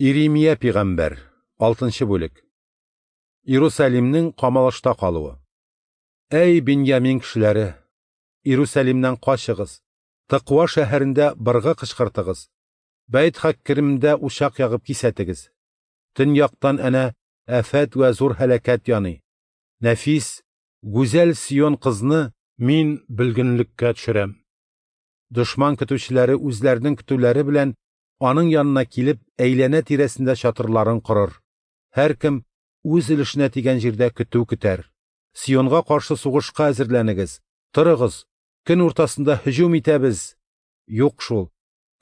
Иремия пигамбәр, 6 бүлек. Иерусалимнең камалышта калуы. Әй, Беньямин кешеләре, Иерусалимнән качыгыз, Тыква шәһәрендә быргы кычкыртыгыз, Бәйт-Хаккеремдә учак ягып кисәтегез. Төньяктан әнә афәт вә зур һәлакәт яный. Нәфис, гүзәл Сион кызны мин бөлгенлеккә төшерәм. Дошман көтүчеләре үзләренең көтүләре белән аның янына килеп, әйләнә тирәсендә чатырларын корыр. Һәркем үз өлешенә тигән җирдә көтү көтәр. Сионга каршы сугышка әзерләнегез. Торыгыз, көн уртасында һөҗүм итәбез. Юк шул.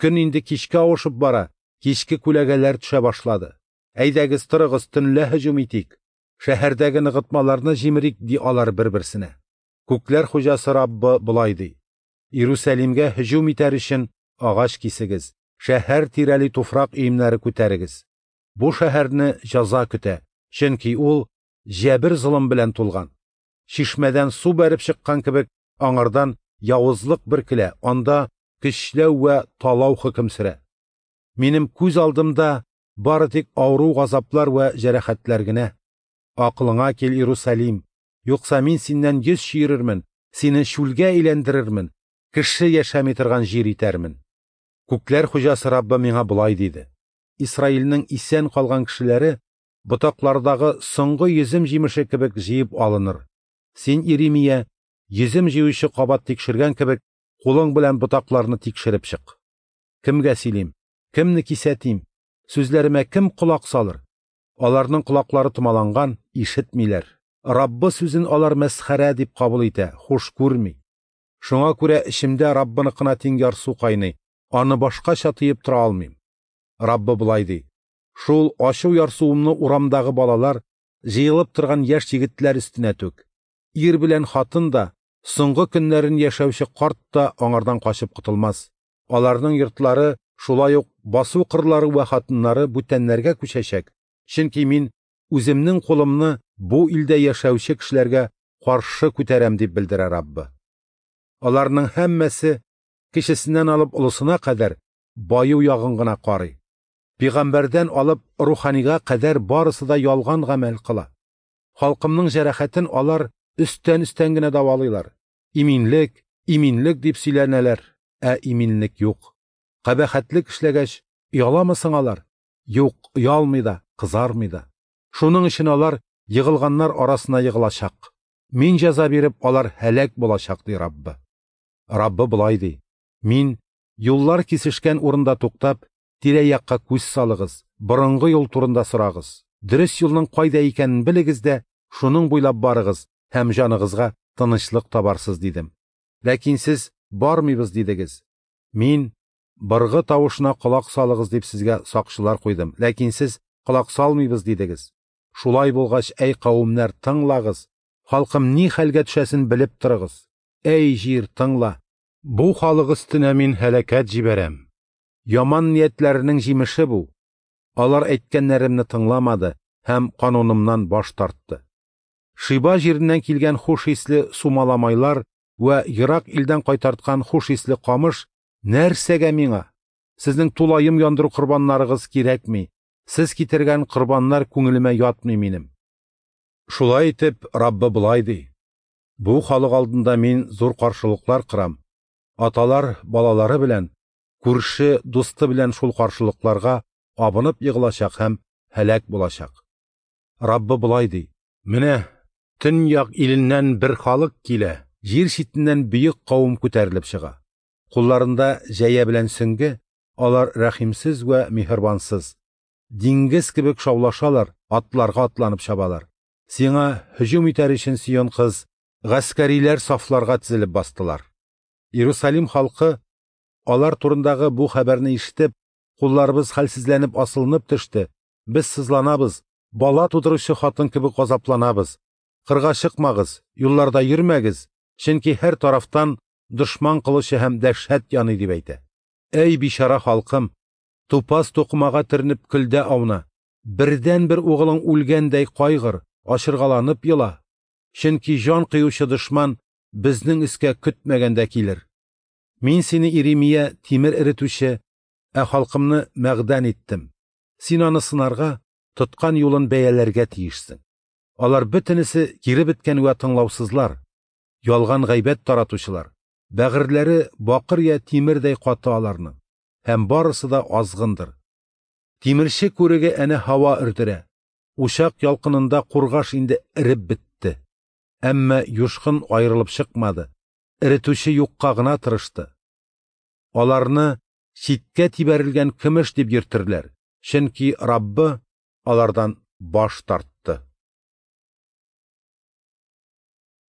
Көн инде кичкә авышып бара, кичке күләгәләр төшә башлады. Әйдәгез, торыгыз, төнлә һөҗүм итик. Шәһәрдәге ныгытмаларны җимерик, ди алар бер-берсенә. Күкләр хуҗасы Раббы болай ди: Иерусалимгә һөҗүм итәр өчен агач кисегез, шәһәр тирәли туфрак өемнәре күтәрегез. Бу шәһәрне җәза көтә, чөнки ул җәбер-золым белән тулган. Чишмәдән су бәреп чыккан кебек, аңардан явызлык бөркелә, анда көчләү вә талау хөкем сөрә. Минем күз алдымда бары тик авыру газаплар вә җәрәхәтләр генә. Акылыңа кил, Иерусалим, юкса мин синнән йөз чөерермен, сине чүлгә әйләндерермен, кеше яшәми торган җир итәрмен. Күкләр хуҗасы Раббы миңа болай диде: Исраилнең исән калган кешеләре ботаклардагы соңгы йөзем җимеше кебек җыеп алыныр. Син, Иремия, йөзем җыючы кабат тикшергән кебек, кулың белән ботакларны тикшереп чык. Кемгә сөйлим? Кемне кисәтим? Сүзләремә кем колак салыр? Аларның колаклары томаланган, ишетмиләр. Раббы сүзен алар мәсхәрә дип кабул итә, хуш күрми. Шуңа күрә эчемдә Раббыныкына тиң ярсу кайный, аны башкача тыеп тора алмыйм. Раббы болай ди: Шул ачу ярсуымны урамдагы балалар, җыелып торган яшь егетләр өстенә түк. Ир белән хатын да, соңгы көннәрен яшәүче карт та аңардан качып котылмас. Аларның йортлары, шулай ук басу кырлары вә хатыннары бүтәннәргә күчәчәк, чөнки мин үземнең кулымны бу илдә яшәүче кешеләргә каршы күтәрәм, дип белдерә Раббы. Аларның һәммәсе, кечесеннән алып олысына кадәр, баю ягын гына карый. Пигамбәрдән алып руханига кадәр барысы да ялган гамәл кыла. Халкымның җәрәхәтен алар өстән-өстән генә дәвалыйлар. Иминлек, иминлек дип сөйләнәләр, ә иминлек юк. Кабахәтлек эшләгәч, ояламы соң алар? Юк, оялмый да, кызармый да. Шуның өчен алар егылганнар арасына егылачак. Мин җәза биреп, алар һәлак булачак, ди Раббы. Раббы болай ди: Мин юллар кисешкән урында туктап, тирә-якка күз салыгыз, борынгы юл турында сорагыз. Дөрес юлның кайда икәнен белегез дә, шуның буйлап барыгыз һәм җаныгызга тынычлык табарсыз, дидем. Ләкин сез бармыйбыз дидегез. Мин быргы тавышына колак салыгыз дип сезгә сакчылар куйдым, ләкин сез колак салмыйбыз дидегез. Шулай булгач, әй кавемнәр, тыңлагыз, халкым ни хәлгә төшәсен белеп торыгыз. Әй җир, тыңла. Бу халык өстенә мин һәлакәт җибәрәм. Яман ниятләренең җимеше бу. Алар әйткәннәремне тыңламады һәм канунымнан баш тартты. Шиба җиреннән килгән хуш исле сумаламайлар вә ерак илдән кайтарткан хуш исле камыш нәрсәгә миңа? Сезнең тулаем яндыру корбаннарыгыз кирәкми. Сез китергән корбаннар күңелемә ятмый минем. Шулай итеп, Раббы болай ди: Бу халык алдында мин зур каршылыклар кырам. Аталар балалары белән, күрше дусты белән шул каршылыкларга абынып егылачак һәм һәлак булачак. Раббы болай ди: Менә төньяк иленнән бер халык килә, җир читеннән бөек кавым күтәрелеп чыга. Кулларында җәя белән сөңге, алар рәхимсез вә миһербансыз. Диңгез кебек шаулашалар, атларга атланып чабалар. Сиңа һөҗүм итәр өчен, Сион кыз, гаскәриләр сафларга тезелеп бастылар. Иерусалим халкы алар турындагы бу хәбәрне ишетеп, кулларыбыз хәлсезләнеп асылынып төште, без сызланабыз, бала тудыручы хатын кебек газапланабыз. Кырга чыкмагыз, юлларда йөрмәгез, чөнки һәр тарафтан дошман кылычы һәм дәһшәт яный, дип әйтә. Әй бичара халкым, тупас тукымага төренеп көлдә ауна, бердән-бер угылың үлгәндәй кайгыр, ачыргаланып ела. Чөнки җан кыючы дошман безнең өскә көтмәгәндә килер. Мин сине, Иремия, тимер эретүче, ә халкымны мәгъдән иттем. Син аны сынарга, тоткан юлын бәяләргә тиешсең. Алар бөтенесе кире беткән вә тыңлаусызлар, ялган гайбәт таратучылар, бәгырьләре бакыр я тимердәй каты аларның, һәм барысы да азгындыр. Тимерче күреге әнә һава өрдерә, учак ялкынында кургаш инде эреп бетте. Әмма юшкын аерылып чыкмады, эретүче юкка гына тырышты. Аларны читкә тибәрелгән көмеш дип йөртерләр, чөнки Раббы алардан баш тартты.